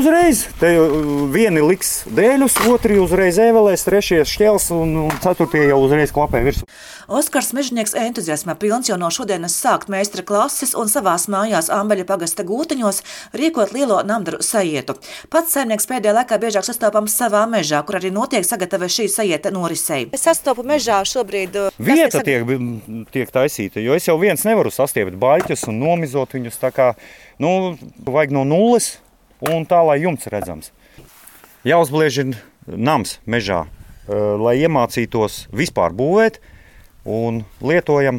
uzreiz. Te vieni liks dēļus, otri uzreiz ēvelēs, trešie šķels un ceturtie jau uzreiz klapē virsū. Oskars Mežnieks entuziasmā pilns jau no šodienas sākt meistara klases un savās mājās Ambeļa pagasta Gūtiņos rīkot lielo namdaru sajietu. Pats saimnieks pēdējā laikā biežāk sastopams savā mežā, kur arī notiek sagatave šī sajieta norisei. Es sastopu mežā šobrīd. Vieta tiek taisīta, jo es jau viens nevaru sastiept baļķus un nomizot viņus tā kā, vajag no nulles un tā, lai jumts redzams. Jāuzbliež ir nams mežā, lai iemācītos vispār būvēt. Un lietojam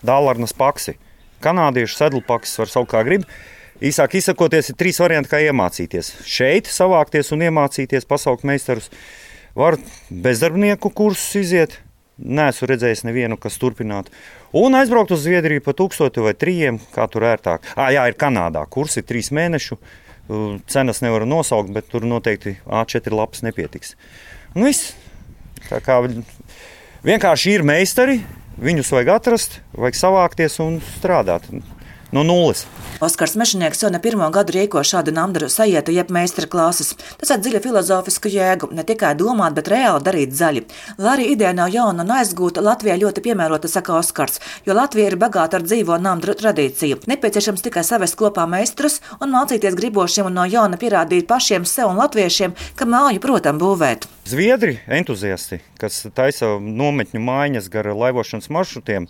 dālarnas paksi. Kanādiešu sedlu paksis var saukt kā grib. Īsāk izsakoties, ir 3 varianti, kā iemācīties. Šeit savākties un iemācīties, pasaukt meistarus. Var bezdarbnieku kursus iziet. Neesmu redzējis nevienu, kas turpinātu. Un aizbraukt uz Zviedriju pa 1000 vai 3, kā tur ērtāk. Jā, ir Kanādā. Kursi 3 mēnešu. Cenas nevaru nosaukt, bet tur noteikti A4 lapas nepietiks. Un viss. Tā kā vienkārši ir meistari, viņus vajag atrast, vajag savākties un strādāt no nulles. Oskars Mežnieks jau ne pirmo gadu rīko šādu namdaru sajietu jeb meistara klases. Tas ar dziļu filozofisku jēgu, ne tikai domāt, bet reāli darīt zaļi. Lai arī ideja nav jauna un aizgūta, Latvijā ļoti piemērota, saka Oskars, jo Latvija ir bagāta ar dzīvo namdaru tradīciju. Nepieciešams tikai savest kopā meistarus un mācīties gribošiem un no jauna pierādīt pašiem sev un latviešiem, ka māju, protam, būvēt. Zviedri entuziasti, kas taisa nometņu mājiņas gar laivošanas maršrutiem,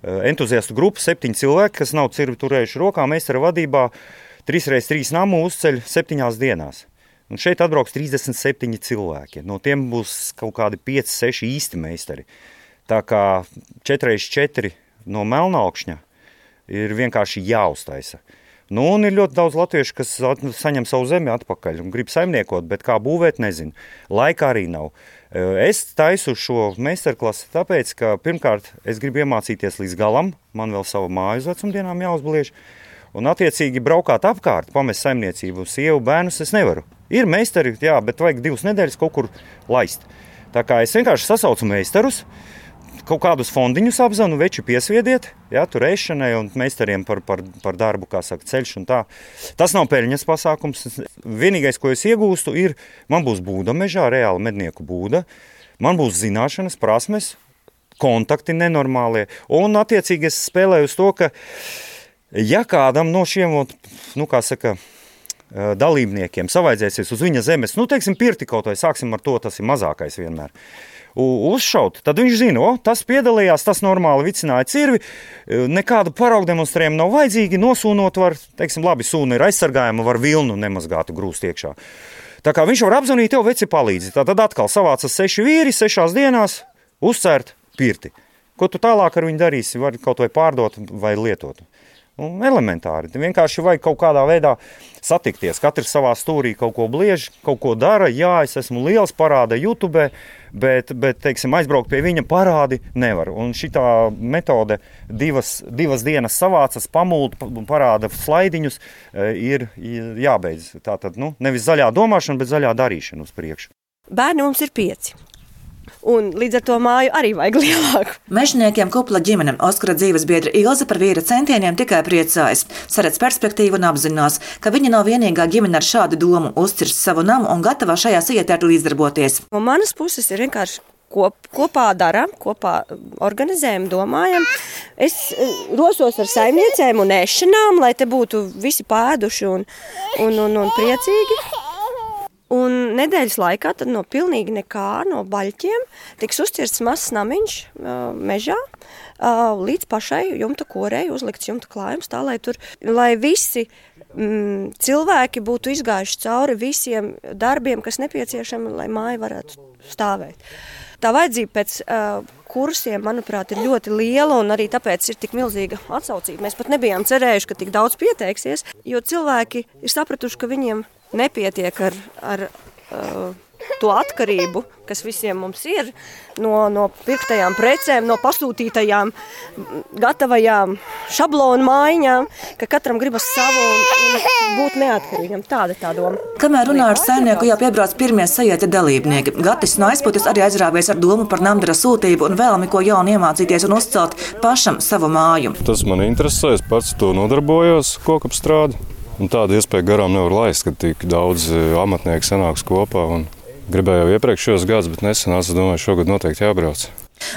entuziastu grupa 7 cilvēki, kas nav cirvi turējuši rokā, meistara vadībā 3x3 namu uzceļ 7 dienās. Un šeit atbrauks 37 cilvēki. No tiem būs kaut kādi 5-6 īsti meistari. Tā kā 4x4 no Melnaukšņa ir vienkārši jāuztaisa. Un ir ļoti daudz latviešu, kas saņem savu zemi atpakaļ un grib saimniekot, bet kā būvēt, nezinu. Laika arī nav. Es taisu šo meistarklasi tāpēc, ka pirmkārt es gribu iemācīties līdz galam, man vēl savu māju uz vecumdienām jāuzbliež, un attiecīgi braukāt apkārt, pamest saimniecību, sievu, bērnus es nevaru. Ir meistari, jā, bet vajag 2 nedēļas kaut kur laist. Tā kā es vienkārši sasaucu meistarus, kaut kādus fondiņus apzanu, veči piesviediet, jā, tur ēšanai un meistariem par darbu, kā saka, ceļš un tā. Tas nav peļņas pasākums. Vienīgais, ko es iegūstu, ir, man būs būda mežā, reāli mednieku būda, man būs zināšanas, prasmes, kontakti nenormālie, un attiecīgi es spēlēju uz to, ka, ja kādam no šiem, dalībniekiem savaidzēsies uz viņa zemes, teiksim, pirti kaut vai, sāksim ar to, tas ir mazākais vienmēr, uzšaut, tad viņš zina, tas piedalījās, tas normāli vicināja cirvi, nekādu paraugu demonstrējumu nav vajadzīgi, nosūnot var, teiksim, labi, sūna ir aizsargājama, var vilnu nemazgātu grūst iekšā. Tā kā viņš var apzvanīt, tev veci palīdzi, tad atkal savācas 6 vīri, 6 dienās, uzcērt pirti. Ko tu tālāk ar viņu darīsi, var kaut vai pārdot vai lietot. Elementāri. Vienkārši vajag kaut kādā veidā satikties. Katrs savā stūrī kaut ko bliež, kaut ko dara. Jā, es esmu liels, parāda YouTube, bet teiksim, aizbraukt pie viņa parādi nevar. Un šitā metode divas dienas savācas, pamult, parāda slaidiņus, ir jābeidz. Tātad, nevis zaļā domāšana, bet zaļā darīšana uz priekšu. Bērni mums ir 5. Un līdz ar to māju arī vajag lielāku. Mežniekiem kupla ģimene Oskara dzīves biedra Ilze par vīra centieniem tikai priecājas. Saredz perspektīvu un apzinās, ka viņa nav vienīgā ģimene ar šādu domu, uzcirst savu namu un gatavā šajā sajietē līdzdarboties. No manas puses ir vienkārši kopā darām, kopā organizējam, domājam. Es rosos ar saimniecēm un ēšanām, lai te būtu visi pēduši un priecīgi. Un nedēļas laikā tad no pilnīgi nekā, no baļķiem, tiks uzcirsts mazs namiņš mežā līdz pašai jumta korei, uzlikts jumta klājums, tā lai visi cilvēki būtu izgājuši cauri visiem darbiem, kas nepieciešami, lai māja varētu stāvēt. Tā vajadzība pēc kursiem, manuprāt, ir ļoti liela un arī tāpēc ir tik milzīga atsaucība. Mēs pat nebijām cerējuši, ka tik daudz pieteiksies, jo cilvēki ir sapratuši, ka viņiem nepietiek ar to atkarību, kas visiem mums ir, no pirktajām precēm, no pasūtītajām, gatavajām šablonu mājiņām, ka katram gribas savu un būt neatkarīgam. Tāda tā doma. Kamēr runā ar saimnieku, jau piebrauc pirmie sajieta dalībnieki. Gatis no aizpūtas arī aizrāvies ar domu par namdara sūtību un vēlmi, ko jaunu iemācīties un uzcelt pašam savu māju. Tas man interesē, es pats to nodarbojos, kokapstrādi. Un tādu iespēju garām nevar laist, kad tik daudz amatnieku sanāks kopā. Gribēju jau iepriekšējos gadus, bet nesenās, es domāju, šogad noteikti jābrauc.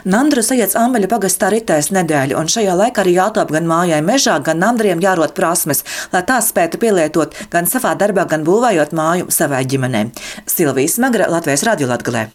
Nandru sajēdz Ambeļa pagastā ritēs nedēļu, un šajā laikā arī jātop gan mājai mežā, gan nandriem jārot prasmes, lai tās spētu pielietot gan savā darbā, gan būvējot māju savai ģimenei. Silvija Smagra, Latvijas Radio Latgalē.